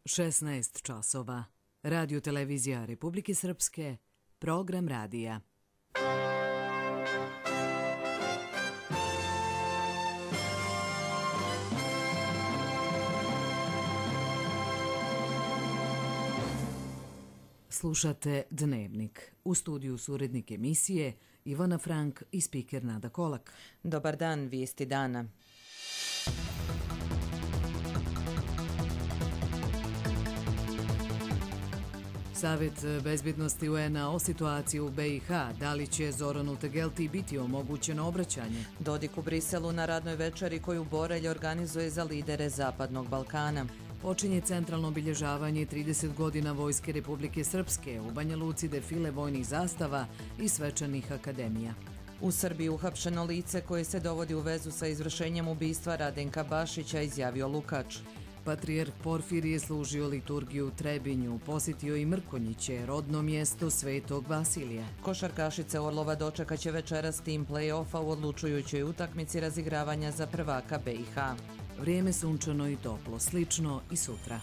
16 časova. Radio televizija Republike Srpske, program radija. Slušate Dnevnik. U studiju su urednik emisije Ivana Frank i spiker Nada Kolak. Dobar dan, vijesti dana. Savet bezbjednosti UN-a o situaciji u BiH, da li će Zoranu Tegelti biti omogućeno obraćanje? Dodik u Briselu na radnoj večeri koju Borelj organizuje za lidere Zapadnog Balkana. Počinje centralno obilježavanje 30 godina Vojske Republike Srpske, u Banja Luci defile vojnih zastava i svečanih akademija. U Srbiji uhapšeno lice koje se dovodi u vezu sa izvršenjem ubistva Radenka Bašića, izjavio Lukač. Patrijarh Porfirije služio liturgiju u Trebinju, posjetio i Mrkonjiće, rodno mjesto Svetog Vasilija. Košarkašice Orlova dočekaće večeras tim play-offa u odlučujućoj utakmici razigravanja za prvaka BiH. Vrijeme sunčano i toplo, slično i sutra.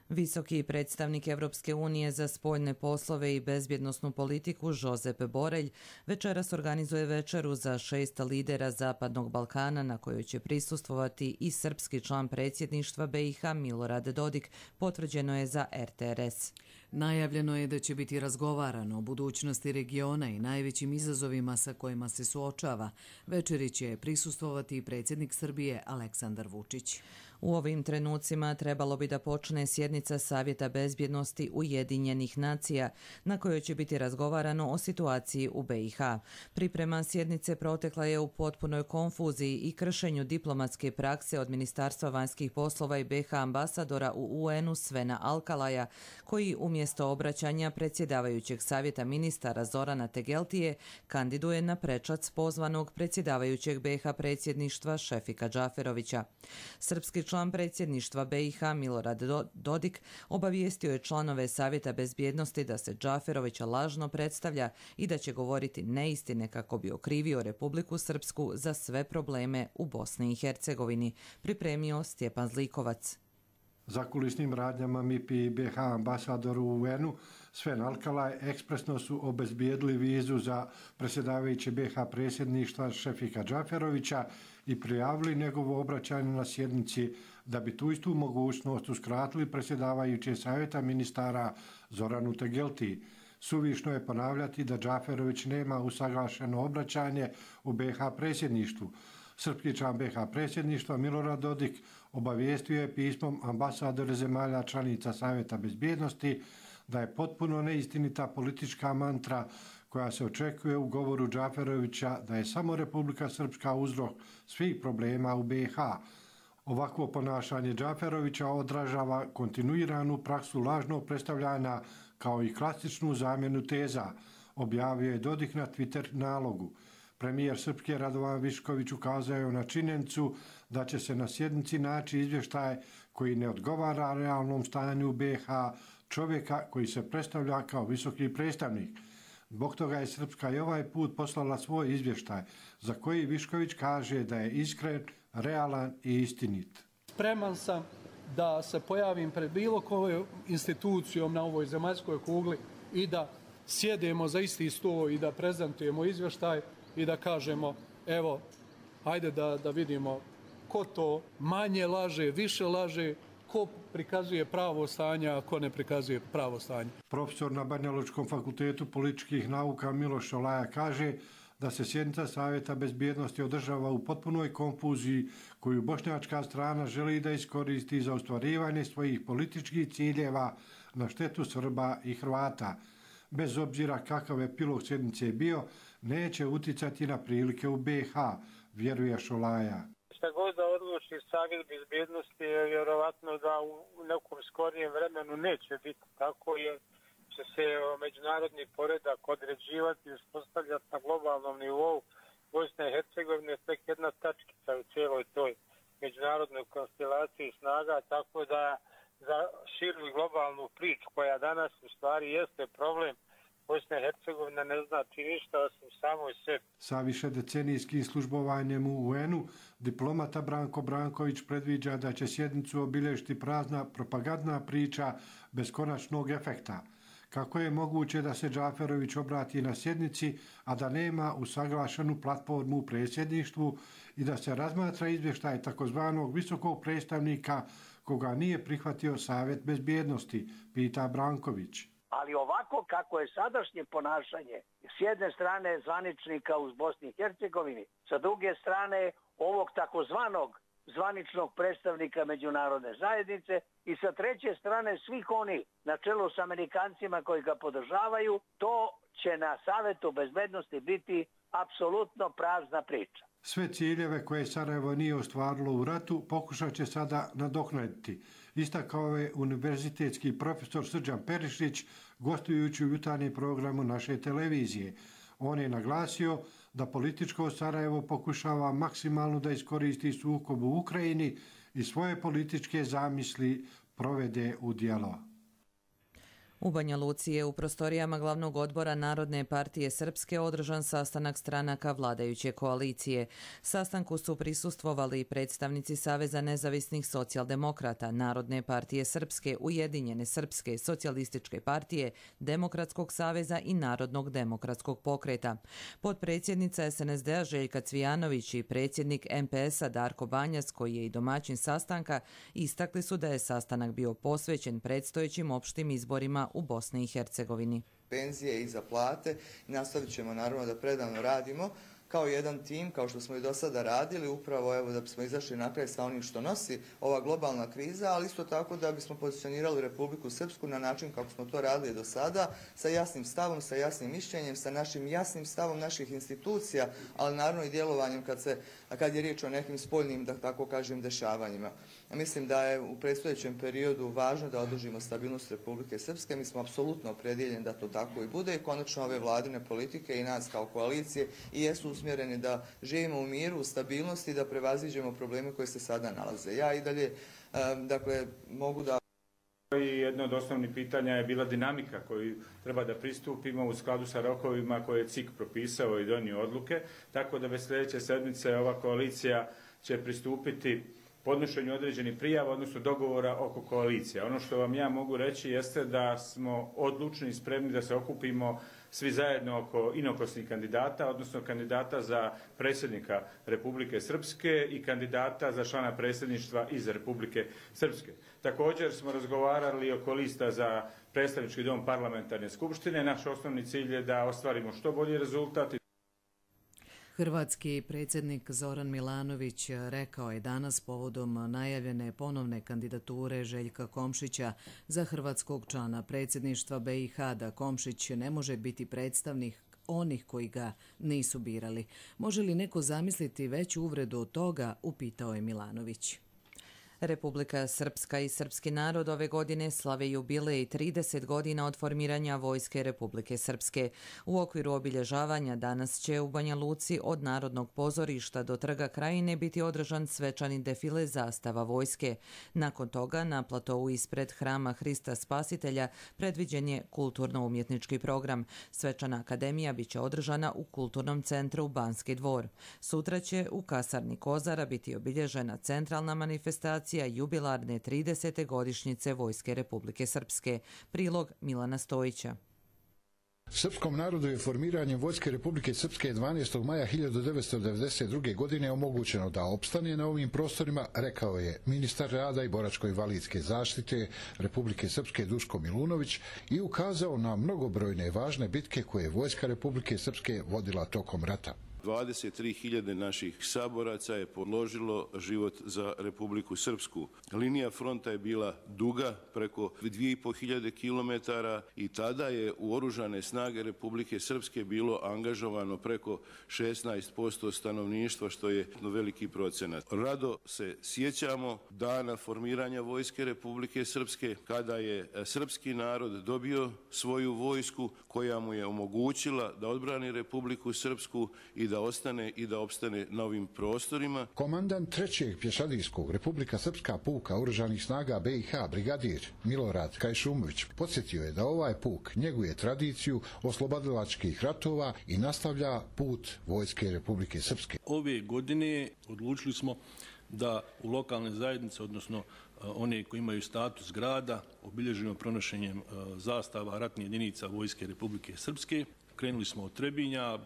Visoki predstavnik Evropske unije za spoljne poslove i bezbjednosnu politiku Josep Borelj večeras organizuje večeru za 6 lidera Zapadnog Balkana na kojoj će prisustvovati i srpski član predsjedništva BiH Milorad Dodik, potvrđeno je za RTRS. Najavljeno je da će biti razgovarano o budućnosti regiona i najvećim izazovima sa kojima se suočava. Večeri će prisustvovati i predsjednik Srbije Aleksandar Vučić. U ovim trenucima trebalo bi da počne sjednica Savjeta bezbjednosti Ujedinjenih nacija na kojoj će biti razgovarano o situaciji u BiH. Priprema sjednice protekla je u potpunoj konfuziji i kršenju diplomatske prakse od Ministarstva vanjskih poslova i BiH ambasadora u UN-u Svena Alkalaja, koji umjesto obraćanja predsjedavajućeg savjeta ministara Zorana Tegeltije kandiduje na prečac pozvanog predsjedavajućeg BiH predsjedništva Šefika Džaferovića. Srpski član predsjedništva BiH Milorad Dodik obavijestio je članove Savjeta bezbjednosti da se Džaferovića lažno predstavlja i da će govoriti neistine kako bi okrivio Republiku Srpsku za sve probleme u Bosni i Hercegovini, pripremio Stjepan Zlikovac. Zakulisnim radnjama MIP i BiH ambasadoru u UN-u Sven Alkalaj ekspresno su obezbijedili vizu za predsjedavajuće BiH predsjedništva Šefika Džaferovića i prijavili njegovo obraćanje na sjednici da bi tu istu mogućnost uskratili predsjedavajuće savjeta ministara Zoranu Tegelti. Suvišno je ponavljati da Džaferović nema usaglašeno obraćanje u BiH predsjedništvu. Srpski član BiH predsjedništva Milorad Dodik obavijestio je pismom ambasadore zemalja članica Savjeta bezbjednosti da je potpuno neistinita politička mantra koja se očekuje u govoru Džaferovića da je samo Republika Srpska uzrok svih problema u BiH. Ovakvo ponašanje Džaferovića odražava kontinuiranu praksu lažnog predstavljanja kao i klasičnu zamjenu teza, objavio je Dodik na Twitter nalogu. Premijer Srpske Radovan Višković ukazao je na činjenicu da će se na sjednici naći izvještaj koji ne odgovara realnom stanju u BiH čovjeka koji se predstavlja kao visoki predstavnik. Zbog toga je Srpska i ovaj put poslala svoj izvještaj za koji Višković kaže da je iskren, realan i istinit. Spreman sam da se pojavim pred bilo kojom institucijom na ovoj zemaljskoj kugli i da sjedemo za isti stol i da prezentujemo izvještaj i da kažemo, evo, ajde da vidimo ko to manje laže, više laže, ko prikazuje pravo stanje, a ko ne prikazuje pravo stanje. Profesor na Banjalučkom fakultetu političkih nauka Miloš Šolaja kaže da se sjednica Savjeta bezbjednosti održava u potpunoj konfuziji koju bošnjačka strana želi da iskoristi za ostvarivanje svojih političkih ciljeva na štetu Srba i Hrvata. Bez obzira kakav epilog sjednice je bio, neće uticati na prilike u BiH, vjeruje Šolaja. Šta god da odluči Savjet bezbjednosti je vjerovatno da u nekom skorijem vremenu neće biti tako, jer će se međunarodni poredak određivati i uspostavljati na globalnom nivou. Bosna i Hercegovina je tek jedna tačkica u cijeloj toj međunarodnoj konstelaciji snaga, tako da za širu i globalnu priču koja danas u stvari jeste problem Bosna i Hercegovina ne znači ništa osim samoj sebi. Sa višedecenijskim službovanjem u UN-u diplomata Branko Branković predviđa da će sjednicu obilježiti prazna propagandna priča bez konačnog efekta. Kako je moguće da se Džaferović obrati na sjednici, a da nema usaglašenu platformu u predsjedništvu i da se razmatra izvještaj takozvanog visokog predstavnika koga nije prihvatio Savjet bezbjednosti, pita Branković. Ali ovako kako je sadašnje ponašanje s jedne strane zvaničnika u Bosni i Hercegovini, sa druge strane ovog takozvanog zvaničnog predstavnika međunarodne zajednice i sa treće strane svih onih na čelu s Amerikancima koji ga podržavaju, to će na Savetu bezbednosti biti apsolutno prazna priča. Sve ciljeve koje Sarajevo nije ostvarilo u ratu pokušat će sada nadoknaditi, istakao je univerzitetski profesor Srđan Perišić gostujući u jutarnjem programu naše televizije. On je naglasio da političko Sarajevo pokušava maksimalno da iskoristi sukob u Ukrajini i svoje političke zamisli provede u djelo. U Banja Luci je u prostorijama glavnog odbora Narodne partije Srpske održan sastanak stranaka vladajuće koalicije. Sastanku su prisustvovali predstavnici Saveza nezavisnih socijaldemokrata, Narodne partije Srpske, Ujedinjene srpske, Socijalističke partije, Demokratskog saveza i Narodnog demokratskog pokreta. Potpredsjednica SNSD-a Željka Cvijanović i predsjednik MPS-a Darko Banjac, koji je i domaćin sastanka, istakli su da je sastanak bio posvećen predstojećim opštim izborima u Bosni i Hercegovini. Penzije i za plate, nastavit ćemo naravno da predano radimo kao jedan tim, kao što smo i do sada radili, upravo evo da bismo izašli na kraj sa onim što nosi ova globalna kriza, ali isto tako da bismo pozicionirali Republiku Srpsku na način kako smo to radili do sada, sa jasnim stavom, sa jasnim mišljenjem, sa našim jasnim stavom naših institucija, ali naravno i djelovanjem kad je riječ o nekim spoljnim, da tako kažem, dešavanjima. Mislim da je u predstojećem periodu važno da održimo stabilnost Republike Srpske. Mi smo apsolutno opredjeljeni da to tako i bude i konačno ove vladine politike i nas kao koalicije i jesu usmjereni da živimo u miru, u stabilnosti i da prevaziđemo probleme koje se sada nalaze. Ja i dalje, mogu da... I jedno od osnovnih pitanja je bila dinamika koju treba da pristupimo u skladu sa rokovima koje je CIK propisao i donio odluke, tako da već sljedeće sedmice ova koalicija će pristupiti podnošenju određenih prijava, odnosno dogovora oko koalicije. Ono što vam ja mogu reći jeste da smo odlučni i spremni da se okupimo svi zajedno oko inokosnih kandidata, odnosno kandidata za predsjednika Republike Srpske i kandidata za člana predsjedništva iz Republike Srpske. Također smo razgovarali oko lista za predstavnički dom parlamentarne skupštine. Naš osnovni cilj je da ostvarimo što bolji rezultat. Hrvatski predsjednik Zoran Milanović rekao je danas povodom najavljene ponovne kandidature Željka Komšića za hrvatskog člana predsjedništva BiH da Komšić ne može biti predstavnik onih koji ga nisu birali. Može li neko zamisliti veću uvredu od toga, upitao je Milanović. Republika Srpska i srpski narod ove godine slave jubilej 30 godina od formiranja Vojske Republike Srpske. U okviru obilježavanja danas će u Banja Luci od Narodnog pozorišta do Trga Krajine biti održan svečani defile zastava vojske. Nakon toga na platovu ispred Hrama Hrista Spasitelja predviđen je kulturno-umjetnički program. Svečana akademija biće održana u Kulturnom centru Banski dvor. Sutra će u kasarni Kozara biti obilježena centralna manifestacija jubilarne 30. godišnjice Vojske Republike Srpske. Prilog Milana Stojića. Srpskom narodu je formiranjem Vojske Republike Srpske 12. maja 1992. godine omogućeno da opstane na ovim prostorima, rekao je ministar rada i boračko-invalidske zaštite Republike Srpske Duško Milunović i ukazao na mnogobrojne važne bitke koje je Vojska Republike Srpske vodila tokom rata. 23.000 naših saboraca je položilo život za Republiku Srpsku. Linija fronta je bila duga, preko 2.500 km i tada je u oružane snage Republike Srpske bilo angažovano preko 16% stanovništva, što je veliki procenat. Rado se sjećamo dana formiranja Vojske Republike Srpske, kada je srpski narod dobio svoju vojsku koja mu je omogućila da odbrani Republiku Srpsku i da ostane i da opstane na ovim prostorima. Komandant 3. pješadijskog Republika Srpska puka Oružanih snaga BiH brigadir Milorad Kajšumović podsjetio je da ovaj puk njeguje tradiciju oslobodilačkih ratova i nastavlja put vojske Republike Srpske. Ove godine odlučili smo da u lokalne zajednice, odnosno one koji imaju status grada, obilježimo pronošenjem zastava ratnih jedinica vojske Republike Srpske. Krenuli smo od Trebinja,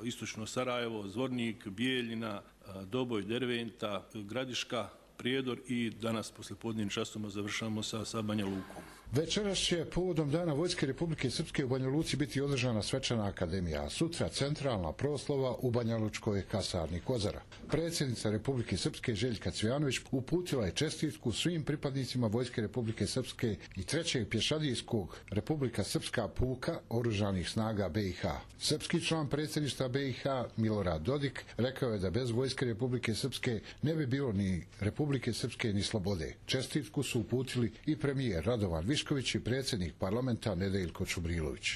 istočno Sarajevo, Zvornik, Bijeljina, Doboj, Derventa, Gradiška, Prijedor i danas poslijepodnevnim časovima završavamo sa Banja Lukom. Večeras će povodom Dana Vojske Republike Srpske u Banja Luci biti održana svečana akademija, a sutra centralna proslava u Banjalučkoj kasarni Kozara. Predsjednica Republike Srpske Željka Cvijanović uputila je čestitku svim pripadnicima Vojske Republike Srpske i 3. pješadijskog Republika Srpska puka Oružanih snaga BiH. Srpski član predsjedništva BiH Milorad Dodik rekao je da bez Vojske Republike Srpske ne bi bilo ni Republike Srpske ni slobode. Čestitku su uputili i premijer Radovan Višković i predsjednik parlamenta Nedeljko Čubrilović.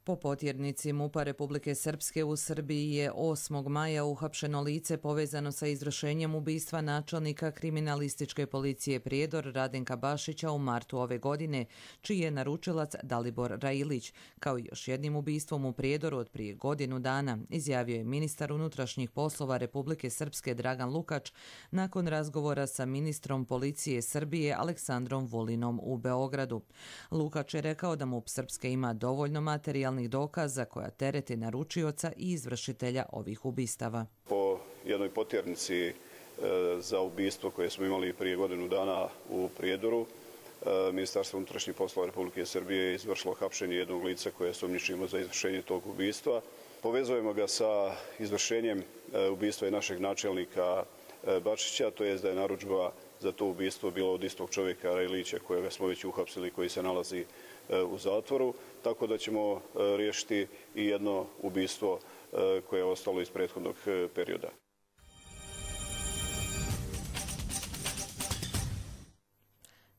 Po potjernici MUP-a Republike Srpske u Srbiji je 8. maja uhapšeno lice povezano sa izvršenjem ubistva načelnika kriminalističke policije Prijedor Radenka Bašića u martu ove godine, čiji je naručilac Dalibor Railić, kao i još jednim ubistvom u Prijedoru od prije godinu dana, izjavio je ministar unutrašnjih poslova Republike Srpske Dragan Lukač nakon razgovora sa ministrom policije Srbije Aleksandrom Vulinom u Beogradu. Lukač je rekao da MUP Srpske ima dovoljno materijalnih dokaza koja terete naručioca i izvršitelja ovih ubistava. Po jednoj potjernici za ubistvo koje smo imali prije godinu dana u Prijedoru, Ministarstvo unutrašnjih poslova Republike Srbije je izvršilo hapšenje jednog lica koje sumnjičimo za izvršenje tog ubistva. Povezujemo ga sa izvršenjem ubistva i našeg načelnika Bačića, to je da je narudžba za to ubistvo bilo od istog čovjeka Railića kojega smo već uhapsili, koji se nalazi u zatvoru, tako da ćemo riješiti i jedno ubistvo koje je ostalo iz prethodnog perioda.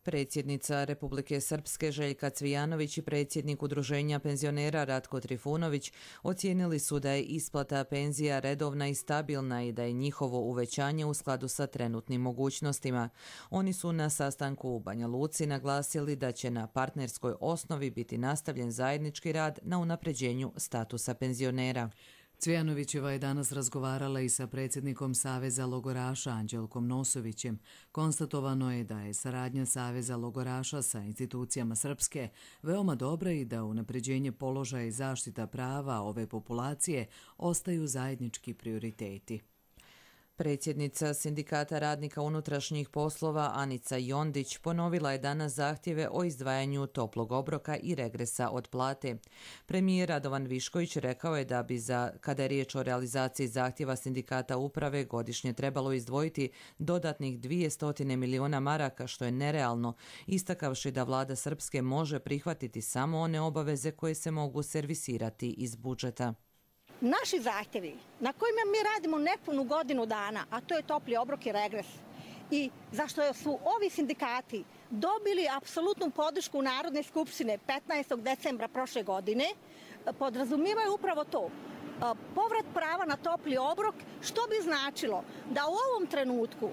Predsjednica Republike Srpske Željka Cvijanović i predsjednik Udruženja penzionera Ratko Trifunović ocijenili su da je isplata penzija redovna i stabilna i da je njihovo uvećanje u skladu sa trenutnim mogućnostima. Oni su na sastanku u Banja Luci naglasili da će na partnerskoj osnovi biti nastavljen zajednički rad na unapređenju statusa penzionera. Cvijanovićeva je danas razgovarala i sa predsjednikom Saveza logoraša Anđelkom Nosovićem. Konstatovano je da je saradnja Saveza logoraša sa institucijama Srpske veoma dobra i da unapređenje položaja i zaštita prava ove populacije ostaju zajednički prioriteti. Predsjednica Sindikata radnika unutrašnjih poslova Anica Jondić ponovila je danas zahtjeve o izdvajanju toplog obroka i regresa od plate. Premijer Radovan Višković rekao je da bi kada je riječ o realizaciji zahtjeva Sindikata uprave godišnje trebalo izdvojiti dodatnih 200 miliona maraka, što je nerealno, istakavši da vlada Srpske može prihvatiti samo one obaveze koje se mogu servisirati iz budžeta. Naši zahtjevi na kojima mi radimo nepunu godinu dana, a to je topli obrok i regres, i zašto su ovi sindikati dobili apsolutnu podršku Narodne skupštine 15. decembra prošle godine, podrazumijevaju upravo to. Povrat prava na topli obrok, što bi značilo da u ovom trenutku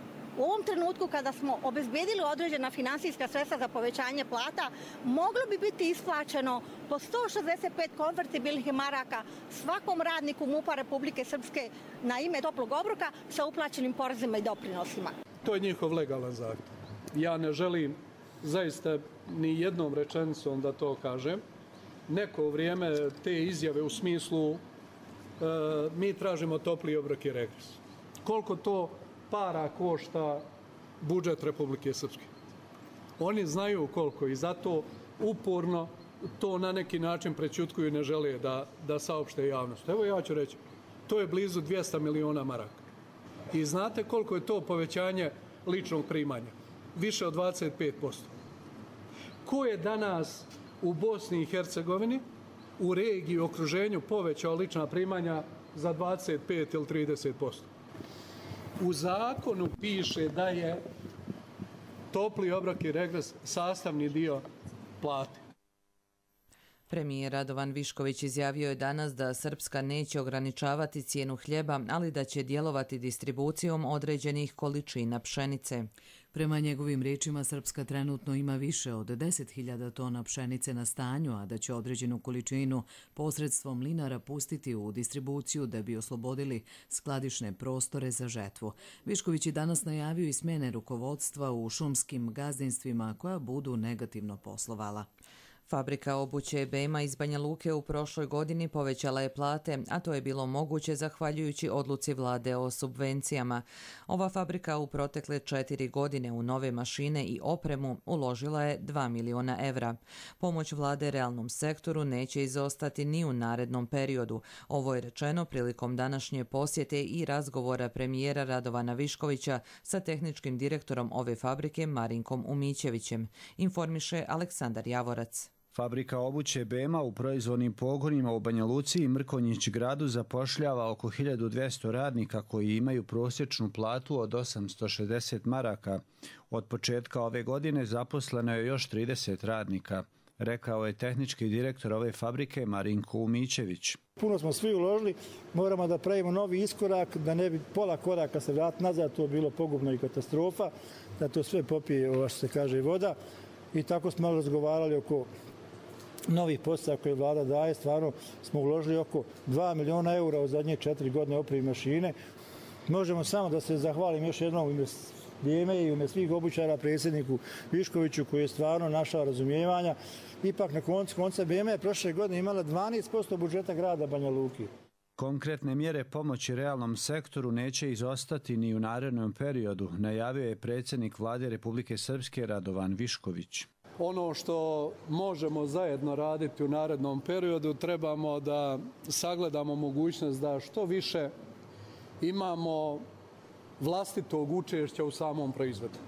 kada smo obezbedili određena finansijska sredstva za povećanje plata, moglo bi biti isplaćeno po 165 konvertibilnih maraka svakom radniku MUP-a Republike Srpske na ime toplog obroka sa uplaćenim porezima i doprinosima. To je njihov legalan zahtjev. Ja ne želim zaista ni jednom rečenicom da to kažem. Neko vrijeme te izjave u smislu mi tražimo topli obrok i regres. Koliko to para košta budžet Republike Srpske. Oni znaju koliko i zato uporno to na neki način prećutkuju i ne žele da saopšte javnost. Evo ja ću reći, to je blizu 200 miliona maraka. I znate koliko je to povećanje ličnog primanja? Više od 25%. Ko je danas u Bosni i Hercegovini, u regiji, u okruženju povećao lična primanja za 25 ili 30%? U zakonu piše da je topli obrok i regres sastavni dio plate. Premijer Radovan Višković izjavio je danas da Srpska neće ograničavati cijenu hljeba, ali da će djelovati distribucijom određenih količina pšenice. Prema njegovim riječima, Srpska trenutno ima više od 10.000 tona pšenice na stanju, a da će određenu količinu posredstvom mlinara pustiti u distribuciju da bi oslobodili skladišne prostore za žetvu. Višković je danas najavio i smjene rukovodstva u šumskim gazdinstvima koja budu negativno poslovala. Fabrika obuće Bema iz Banja Luke u prošloj godini povećala je plate, a to je bilo moguće zahvaljujući odluci vlade o subvencijama. Ova fabrika u protekle 4 godine u nove mašine i opremu uložila je 2 miliona evra. Pomoć vlade realnom sektoru neće izostati ni u narednom periodu. Ovo je rečeno prilikom današnje posjete i razgovora premijera Radovana Viškovića sa tehničkim direktorom ove fabrike Marinkom Umićevićem, informiše Aleksandar Javorac. Fabrika obuće Bema u proizvodnim pogonima u Banja Luci i Mrkonjić gradu zapošljava oko 1200 radnika koji imaju prosječnu platu od 860 maraka. Od početka ove godine zaposleno je još 30 radnika, rekao je tehnički direktor ove fabrike Marinko Umićević. Puno smo svi uložili, moramo da pravimo novi iskorak, da ne bi pola koraka se vratiti nazad, to je bilo pogubno i katastrofa, da to sve popije, što se kaže, voda. I tako smo malo razgovarali oko novih postaja koje vlada daje. Stvarno smo uložili oko 2 miliona eura u zadnje 4 godine opremi mašine. Možemo samo da se zahvalim još jednom u ime Beme i u ime svih obućara predsjedniku Viškoviću koji je stvarno našao razumijevanja. Ipak na konca Beme je prošle godine imala 12% budžeta grada Banja Luki. Konkretne mjere pomoći realnom sektoru neće izostati ni u narednom periodu, najavio je predsjednik vlade Republike Srpske Radovan Višković. Ono što možemo zajedno raditi u narednom periodu, trebamo da sagledamo mogućnost da što više imamo vlastitog učešća u samom proizvodu.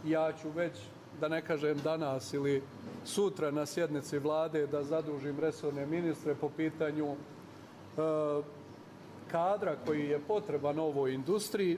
Ja ću već, da ne kažem danas ili sutra na sjednici vlade, da zadužim resorne ministre po pitanju kadra koji je potreban ovoj industriji,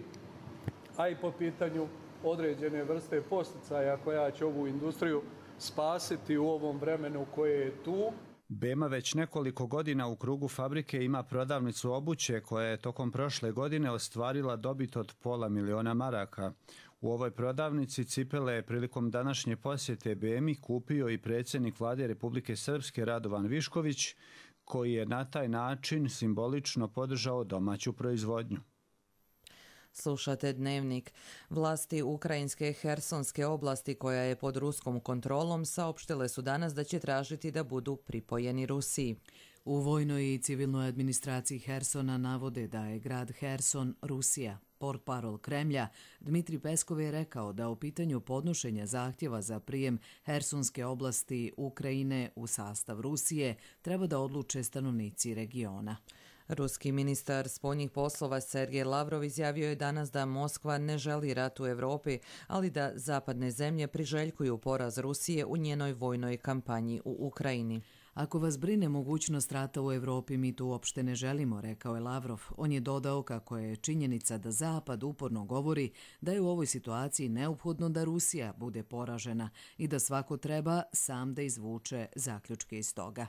a i po pitanju određene vrste posticaja koja će ovu industriju spasiti u ovom vremenu koje je tu. Bema već nekoliko godina u krugu fabrike ima prodavnicu obuće koja je tokom prošle godine ostvarila dobit od pola miliona maraka. U ovoj prodavnici cipele je prilikom današnje posjete Bemi kupio i predsjednik vlade Republike Srpske Radovan Višković, koji je na taj način simbolično podržao domaću proizvodnju. Slušate Dnevnik. Vlasti ukrajinske Hersonske oblasti, koja je pod ruskom kontrolom, saopštile su danas da će tražiti da budu pripojeni Rusiji. U vojnoj i civilnoj administraciji Hersona navode da je grad Herson Rusija. Portparol Kremlja Dmitri Peskov je rekao da u pitanju podnošenja zahtjeva za prijem Hersonske oblasti Ukrajine u sastav Rusije treba da odluče stanovnici regiona. Ruski ministar spoljnih poslova Sergej Lavrov izjavio je danas da Moskva ne želi rat u Europi, ali da zapadne zemlje priželjkuju poraz Rusije u njenoj vojnoj kampanji u Ukrajini. Ako vas brine mogućnost rata u Europi, mi to uopšte ne želimo, rekao je Lavrov. On je dodao kako je činjenica da Zapad uporno govori da je u ovoj situaciji neophodno da Rusija bude poražena i da svako treba sam da izvuče zaključke iz toga.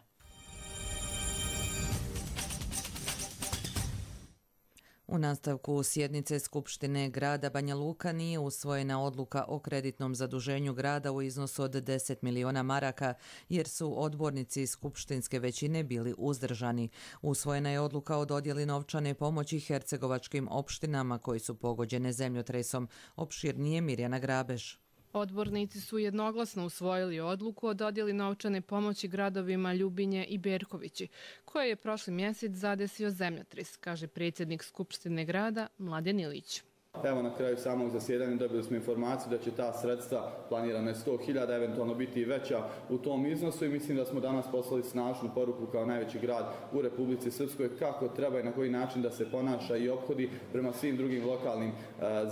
U nastavku sjednice Skupštine grada Banja Luka nije usvojena odluka o kreditnom zaduženju grada u iznosu od 10 miliona maraka, jer su odbornici skupštinske većine bili uzdržani. Usvojena je odluka o dodjeli novčane pomoći hercegovačkim opštinama koji su pogođene zemljotresom. Opširnije Mirjana Grabež. Odbornici su jednoglasno usvojili odluku o dodjeli novčane pomoći gradovima Ljubinje i Berkovići, koje je prošli mjesec zadesio zemljotres, kaže predsjednik Skupštine grada Mladen Ilić. Evo na kraju samog zasjedanja dobili smo informaciju da će ta sredstva planirana je 100.000, eventualno biti i veća u tom iznosu i mislim da smo danas poslali snažnu poruku kao najveći grad u Republici Srpskoj kako treba i na koji način da se ponaša i ophodi prema svim drugim lokalnim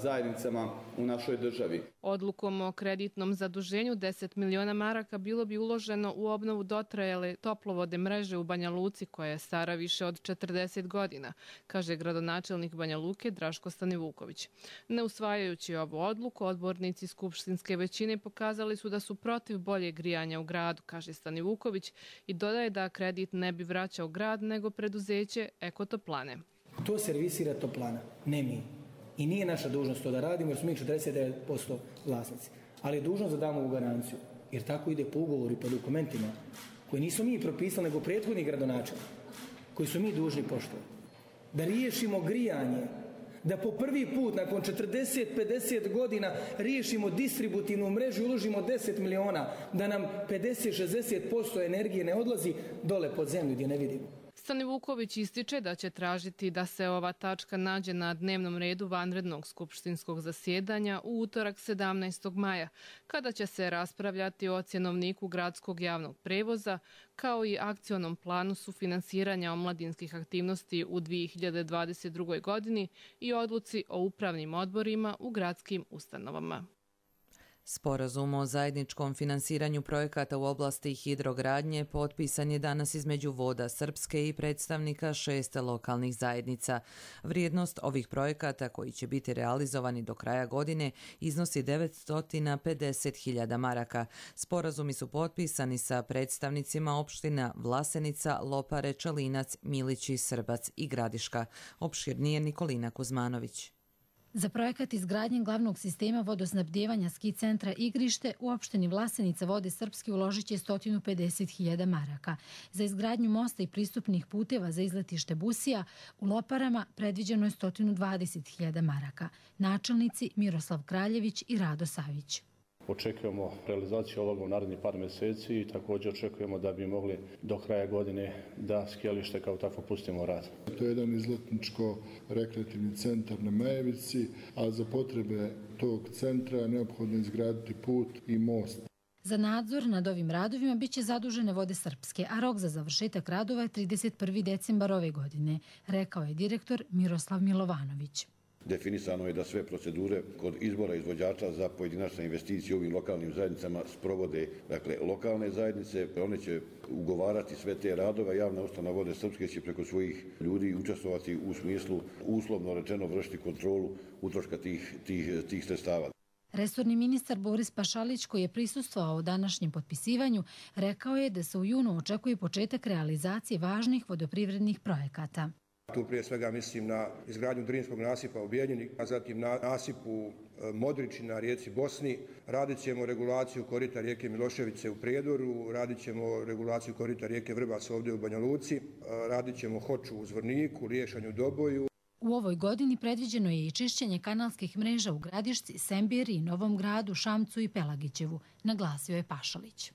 zajednicama u našoj državi. Odlukom o kreditnom zaduženju 10 miliona maraka bilo bi uloženo u obnovu dotrajale toplovode mreže u Banja Luci koja je stara više od 40 godina, kaže gradonačelnik Banja Luke Draško Stanivuković. Ne usvajajući ovu odluku, odbornici skupštinske većine pokazali su da su protiv boljeg grijanja u gradu, kaže Stanivuković, i dodaje da kredit ne bi vraćao grad nego preduzeće Ekotoplane. To servisira Toplana, ne mi. I nije naša dužnost to da radimo jer smo mi 49% vlasnici. Ali je dužnost da damo ovu garanciju. Jer tako ide po ugovoru i po dokumentima koje nismo mi propisali nego prethodni gradonačelnik koji su mi dužni poštovati. Da riješimo grijanje, da po prvi put nakon 40-50 godina riješimo distributivnu mrežu i uložimo 10 miliona, da nam 50-60% energije ne odlazi dole pod zemlju gdje ne vidimo. Stanivuković ističe da će tražiti da se ova tačka nađe na dnevnom redu vanrednog skupštinskog zasjedanja u utorak 17. maja, kada će se raspravljati o cjenovniku gradskog javnog prevoza, kao i akcionom planu sufinansiranja omladinskih aktivnosti u 2022. godini i odluci o upravnim odborima u gradskim ustanovama. Sporazum o zajedničkom finansiranju projekata u oblasti hidrogradnje potpisan je danas između Voda Srpske i predstavnika 6 lokalnih zajednica. Vrijednost ovih projekata koji će biti realizovani do kraja godine iznosi 950.000 maraka. Sporazumi su potpisani sa predstavnicima opština Vlasenica, Lopare, Čelinac, Milići, Srbac i Gradiška. Opširnije Nikolina Kuzmanović. Za projekat izgradnje glavnog sistema vodosnabdijevanja ski centra Igrište u opštini Vlasenica Vode Srpske uložit će 150.000 maraka. Za izgradnju mosta i pristupnih puteva za izletište Busija u Loparama predviđeno je 120.000 maraka. Načelnici Miroslav Kraljević i Rado Savić. Očekujemo realizaciju ovoga u narednih par mjeseci i također očekujemo da bi mogli do kraja godine da skijalište kao tako pustimo rad. To je jedan izletničko-rekreativni centar na Majevici, a za potrebe tog centra je neophodno izgraditi put i most. Za nadzor nad ovim radovima biće zadužene Vode Srpske, a rok za završetak radova je 31. decembar ove godine, rekao je direktor Miroslav Milovanović. Definisano je da sve procedure kod izbora izvođača za pojedinačne investicije u ovim lokalnim zajednicama sprovode lokalne zajednice. One će ugovarati sve te radove. Javna ustanova Vode Srpske će preko svojih ljudi učestvovati u smislu, uslovno rečeno, vršiti kontrolu utroška tih sredstava. Resorni ministar Boris Pašalić, koji je prisustvovao današnjem potpisivanju, rekao je da se u junu očekuje početak realizacije važnih vodoprivrednih projekata. Tu prije svega mislim na izgradnju Drinskog nasipa u Bijeljini, a zatim na nasipu Modrići na rijeci Bosni. Radit ćemo regulaciju korita rijeke Miloševice u Prijedoru, radit ćemo regulaciju korita rijeke Vrbac ovdje u Banja Luci, radit ćemo Hoču u Zvorniku, Liješanju Doboju. U ovoj godini predviđeno je i čišćenje kanalskih mreža u Gradišci, Sembiri, Novom Gradu, Šamcu i Pelagićevu, naglasio je Pašalić.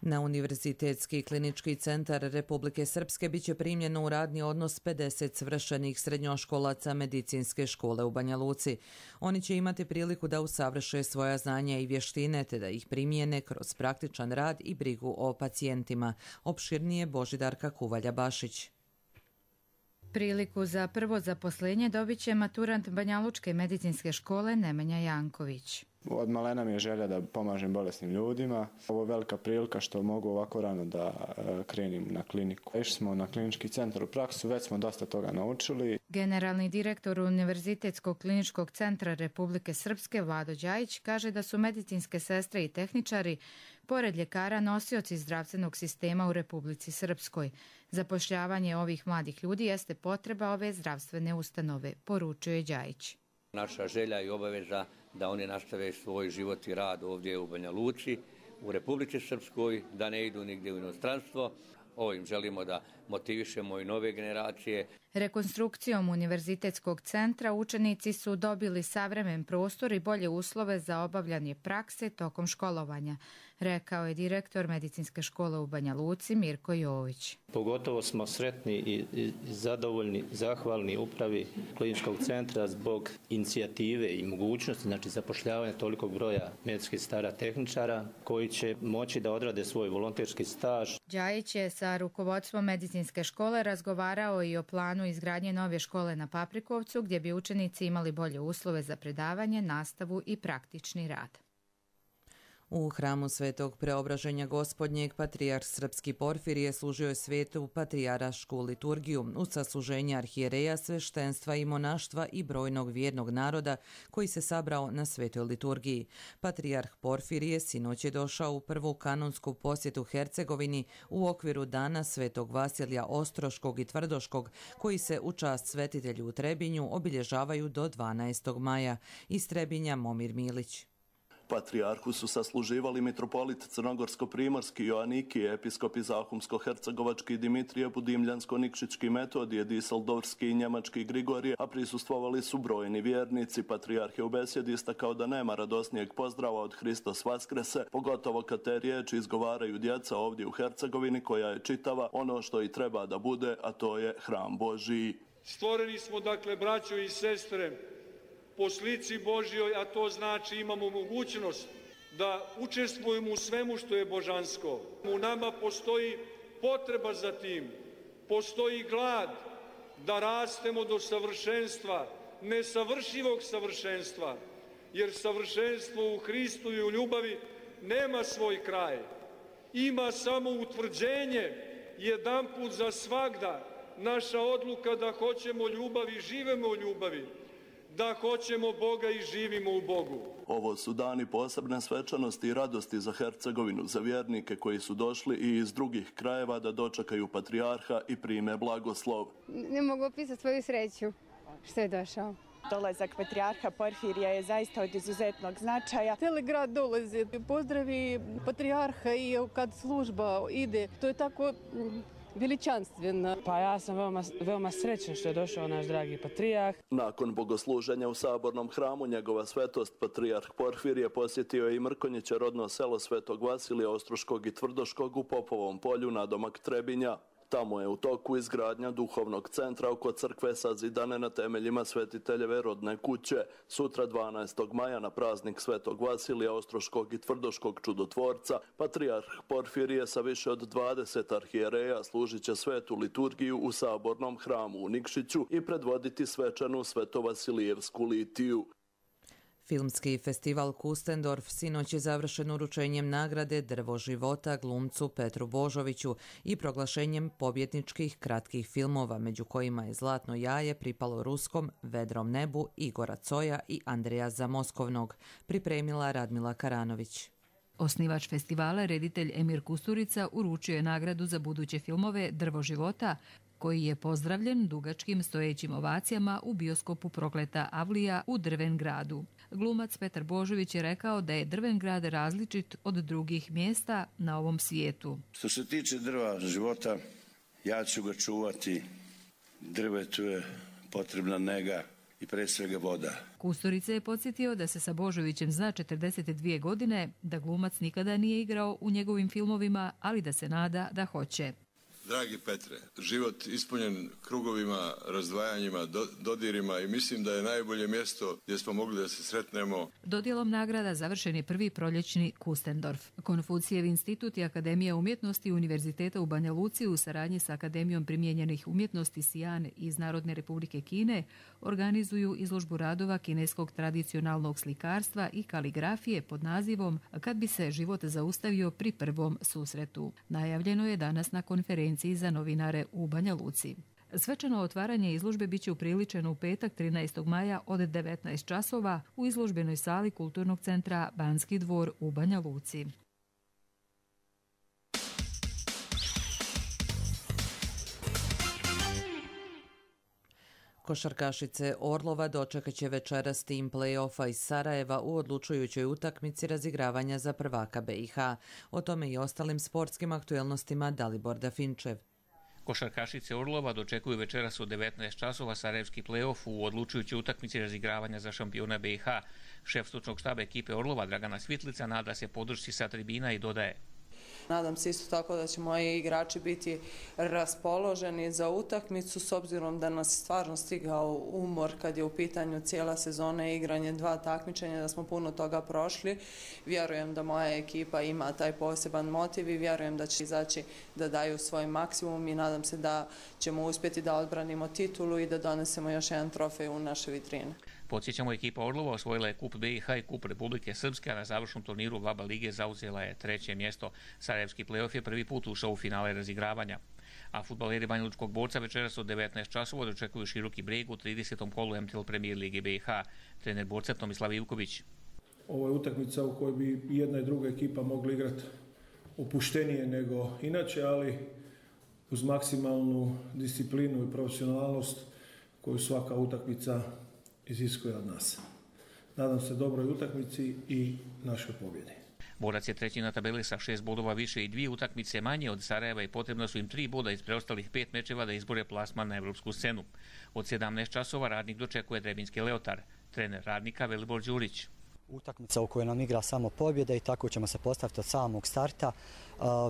Na Univerzitetski klinički centar Republike Srpske biće primljeno u radni odnos 50 svršenih srednjoškolaca medicinske škole u Banja Luci. Oni će imati priliku da usavrše svoja znanja i vještine te da ih primijene kroz praktičan rad i brigu o pacijentima. Opširnije Božidarka Kuvalja-Bašić. Priliku za prvo zaposlenje dobit će maturant Banjalučke medicinske škole Nemanja Janković. Od malena mi je želja da pomažem bolesnim ljudima. Ovo je velika prilika što mogu ovako rano da krenim na kliniku. Išli smo na klinički centar u praksu, već smo dosta toga naučili. Generalni direktor Univerzitetskog kliničkog centra Republike Srpske Vlado Đajić kaže da su medicinske sestre i tehničari pored ljekara nosioci zdravstvenog sistema u Republici Srpskoj. Zapošljavanje ovih mladih ljudi jeste potreba ove zdravstvene ustanove, poručuje Đajić. Naša želja i obaveza da oni nastave svoj život i rad ovdje u Banja Luci, u Republici Srpskoj, da ne idu nigdje u inostranstvo. Ovim želimo da motivišemo i nove generacije. Rekonstrukcijom Univerzitetskog centra učenici su dobili savremen prostor i bolje uslove za obavljanje prakse tokom školovanja, rekao je direktor medicinske škole u Banja Luci Mirko Jović. Pogotovo smo sretni i zadovoljni, zahvalni upravi kliničkog centra zbog inicijative i mogućnosti, znači zapošljavanja tolikog broja medicinskih sestara tehničara koji će moći da odrade svoj volonterski staž. Đajić je sa rukovodstvom medicinske medicinske škole razgovarao i o planu izgradnje nove škole na Paprikovcu, gdje bi učenici imali bolje uslove za predavanje, nastavu i praktični rad. U hramu Svetog Preobraženja Gospodnjeg patrijarh Srpski Porfirije služio je svetu patrijarašku liturgiju uz sasluženje arhijereja, sveštenstva i monaštva i brojnog vjernog naroda koji se sabrao na svetoj liturgiji. Patrijarh Porfirije sinoć je došao u prvu kanonsku posjetu Hercegovini u okviru Dana Svetog Vasilija Ostroškog i Tvrdoškog, koji se u čast svetitelju u Trebinju obilježavaju do 12. maja. Iz Trebinja Momir Milić. Patrijarhu su sasluživali mitropolit Crnogorsko-primorski Joaniki, episkopi Zahumsko-hercegovački Dimitrije, Budimljansko-Nikšićki Metodije, Diseldorfski i Njemački Grigorije, a prisustvovali su brojni vjernici. Patrijarh je u besjedi istakao da nema radosnijeg pozdrava od Hristos Vaskrese, pogotovo kad te riječi izgovaraju djeca ovdje u Hercegovini, koja je čitava ono što i treba da bude, a to je hram Božiji. Stvoreni smo, dakle, braćo i sestre, po slici Božjoj, a to znači imamo mogućnost da učestvujemo u svemu što je božansko. U nama postoji potreba za tim, postoji glad da rastemo do savršenstva, nesavršivog savršenstva, jer savršenstvo u Hristu i u ljubavi nema svoj kraj. Ima samo utvrđenje jedanput za svagda, naša odluka da hoćemo ljubav i živimo u ljubavi, da hoćemo Boga i živimo u Bogu. Ovo su dani posebne svečanosti i radosti za Hercegovinu, za vjernike koji su došli i iz drugih krajeva da dočekaju patrijarha i prime blagoslov. Ne mogu opisati svoju sreću što je došao. Dolazak patrijarha Porfirija je zaista od izuzetnog značaja. Cijeli grad dolazi, pozdravi patrijarha i kad služba ide, to je tako veličanstveno. Pa ja sam veoma srećan što je došao naš dragi patrijarh. Nakon bogosluženja u Sabornom hramu, njegova svetost patrijarh Porfirije posjetio je i Mrkonjiće, rodno selo Svetog Vasilija Ostroškog i Tvrdoškog u Popovom polju nadomak Trebinja. Tamo je u toku izgradnja duhovnog centra oko crkve sazidane na temeljima svetiteljeve rodne kuće. Sutra 12. maja na praznik Svetog Vasilija Ostroškog i Tvrdoškog čudotvorca, patrijarh Porfirije sa više od 20 arhijereja služit će svetu liturgiju u Sabornom hramu u Nikšiću i predvoditi svečanu Svetovasilijevsku litiju. Filmski festival Kustendorf sinoć je završen uručenjem nagrade Drvo života glumcu Petru Božoviću i proglašenjem pobjedničkih kratkih filmova, među kojima je Zlatno jaje pripalo Ruskom, Vedrom nebu, Igora Coja i Andreja Zamoskovnog, pripremila Radmila Karanović. Osnivač festivala, reditelj Emir Kusturica, uručio je nagradu za buduće filmove Drvo života, koji je pozdravljen dugačkim stojećim ovacijama u bioskopu Prokleta Avlija u Drvengradu. Glumac Petar Božović je rekao da je Drvengrad različit od drugih mjesta na ovom svijetu. Što se tiče drva života, ja ću ga čuvati. Drvetu je potrebna nega i pre svega voda. Kusturica je podsjetio da se sa Božovićem zna 42 godine, da glumac nikada nije igrao u njegovim filmovima, ali da se nada da hoće. Dragi Petre, život ispunjen krugovima, razdvajanjima, dodirima i mislim da je najbolje mjesto gdje smo mogli da se sretnemo. Dodjelom nagrada završen je prvi proljećni Kustendorf. Konfucijev institut i Akademija umjetnosti Univerziteta u Banja Luci u saradnji sa Akademijom primijenjenih umjetnosti Sijan iz Narodne Republike Kine organizuju izložbu radova kineskog tradicionalnog slikarstva i kaligrafije pod nazivom Kad bi se život zaustavio pri prvom susretu. Najavljeno je danas na konferenciji za novinare u Banja Luci. Svečano otvaranje izložbe biće upriličeno u petak 13. maja od 19 časova u izložbenoj sali Kulturnog centra Banski dvor u Banja Luci. Košarkašice Orlova dočekat će večeras tim play-offa iz Sarajeva u odlučujućoj utakmici razigravanja za prvaka BiH. O tome i ostalim sportskim aktuelnostima Dalibor Dafinčev. Košarkašice Orlova dočekuju večeras u 19 časova sarajevski play-off u odlučujućoj utakmici razigravanja za šampiona BiH. Šef stručnog štaba ekipe Orlova Dragana Svitlica nada se podršci sa tribina i dodaje: Nadam se isto tako da će moji igrači biti raspoloženi za utakmicu s obzirom da nas je stvarno stigao umor kad je u pitanju cijela sezona i igranje 2 takmičenja, da smo puno toga prošli. Vjerujem da moja ekipa ima taj poseban motiv i vjerujem da će izaći da daju svoj maksimum i nadam se da ćemo uspjeti da odbranimo titulu i da donesemo još jedan trofej u naše vitrine. Podsjećamo, ekipa Orlova osvojila je Kup BiH i Kup Republike Srpske, a na završnom turniru VABA lige zauzela je 3. mjesto. Sarajevski play-off je prvi put ušao u finale razigravanja. A fudbaleri Banjalučkog Borca večeras od 19 časova dočekuju Široki Breg u 30. kolu MTL Premier lige BiH. Trener Borca Tomislav Ivković. Ovo je utakmica u kojoj bi jedna i druga ekipa mogli igrati opuštenije nego inače, ali uz maksimalnu disciplinu i profesionalnost koju svaka utakmica iziskuje od nas. Nadam se dobroj utakmici i našoj pobjedi. Borac je 3. na tabeli sa 6 bodova više i 2 utakmice manje od Sarajeva i potrebno su im 3 boda iz preostalih 5 mečeva da izbore plasman na evropsku scenu. Od 17 časova Radnik dočekuje Trebinjski Leotar. Trener Radnika Velibor Đurić. Utakmica u kojoj nam igra samo pobjeda i tako ćemo se postaviti od samog starta.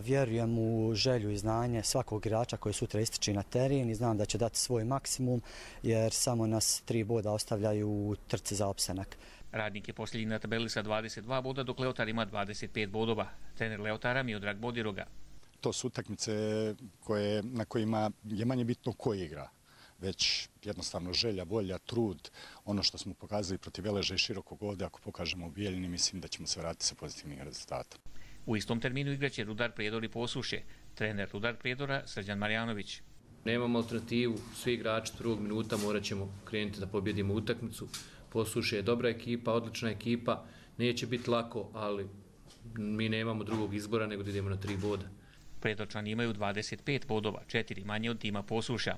Vjerujem u želju i znanje svakog igrača koji sutra ističe na teren i znam da će dati svoj maksimum jer samo nas 3 boda ostavljaju u trci za opstanak. Radnik je posljednji na tabeli sa 22 boda, dok Leotar ima 25 bodova. Trener Leotara Miodrag Bodiroga. To su utakmice na kojima je manje bitno ko igra, već jednostavno želja, volja, trud, ono što smo pokazali protiv Veleža i Širokog ovdje, ako pokažemo u Bijeljini, mislim da ćemo se vratiti sa pozitivnih rezultata. U istom terminu igraće Rudar Prijedor i Posušje. Trener Rudar Prijedora Srđan Marjanović. Nemamo alternativu, svi igrači prvog minuta morat ćemo krenuti da pobjedimo utakmicu. Posušje je dobra ekipa, odlična ekipa, neće biti lako, ali mi nemamo drugog izbora nego da idemo na 3 boda. Prijedorčani imaju 25 bodova, 4 manje od tima Posušja.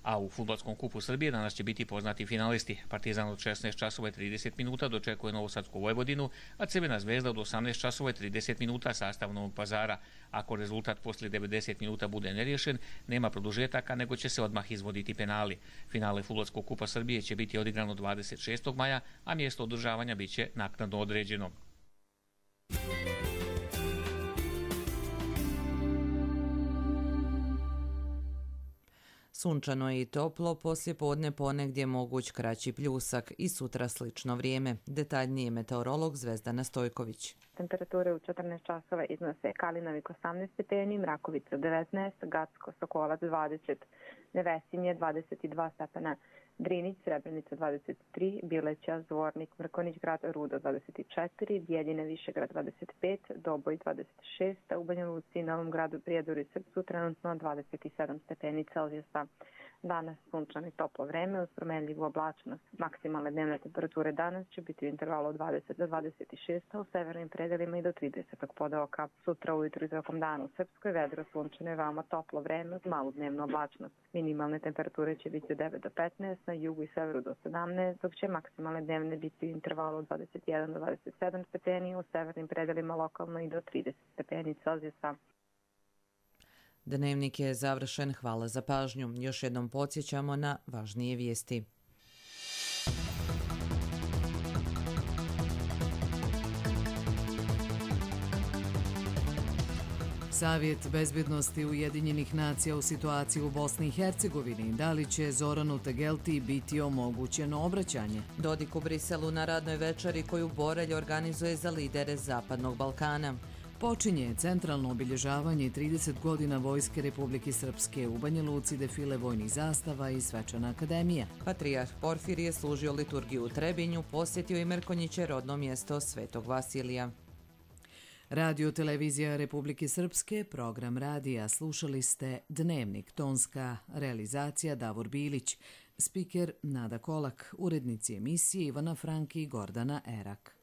A u Fudbalskom kupu Srbije danas će biti poznati finalisti. Partizan od 16 časova i 30 minuta dočekuje Novosadsku Vojvodinu, a Crvena zvezda od 18 časova i 30 minuta sastav Novog Pazara. Ako rezultat poslije 90 minuta bude neriješen, nema produžetaka, nego će se odmah izvoditi penali. Finale Fudbalskog kupa Srbije će biti odigrano 26. maja, a mjesto održavanja bit će naknadno određeno. Sunčano je i toplo, poslije podne ponegdje moguć kraći pljusak i sutra slično vrijeme. Detaljnije meteorolog Zvezdana Stojković. Temperature u 14 časova iznose Kalinavik 18 stepeni, Mrakovica 19, Gacko, Sokolac 20, Nevesinje 22 stepena, Drinić, Srebrenica 23, Bileća, Zvornik, Mrkonjić grad, Rudo 24, Bijeljine, Višegrad 25, Doboj 26, a u Banja Luci, Novom gradu, Prijedoru i Srpsku trenutno 27 stepeni Celzijusa. Danas sunčano i toplo vreme uz promenljivu oblačnost. Maksimalne dnevne temperature danas će biti u intervalu od 20 do 26, a u severnim predelima i do 30 podoka. Sutra ujutru i tokom dana u Srpskoj vedro, sunčano i veoma toplo vreme uz malu dnevnu oblačnost. Minimalne temperature će biti od 9 do 15, na jugu i severu do 17, dok će maksimalne dnevne biti u intervalu od 21 do 27 stepeni, u severnim predelima lokalno i do 30 stepeni Celzijusa. Dnevnik je završen, hvala za pažnju. Još jednom podsjećamo na važnije vijesti. Savjet bezbjednosti Ujedinjenih nacija u situaciji u Bosni i Hercegovini. Da li će Zoranu Tegelti biti omogućeno obraćanje? Dodik u Briselu na radnoj večeri koju Borelj organizuje za lidere Zapadnog Balkana. Počinje centralno obilježavanje 30 godina Vojske Republike Srpske. U Banja Luci defile vojnih zastava i svečana akademija. Patrijarh Porfirije služio liturgiju u Trebinju, posjetio i Mrkonjiće rodno mjesto Svetog Vasilija. Radio Televizija Republike Srpske, program radija, slušali ste Dnevnik, tonska realizacija Davor Bilić, spiker Nada Kolak, urednici emisije Ivana Franki i Gordana Erak.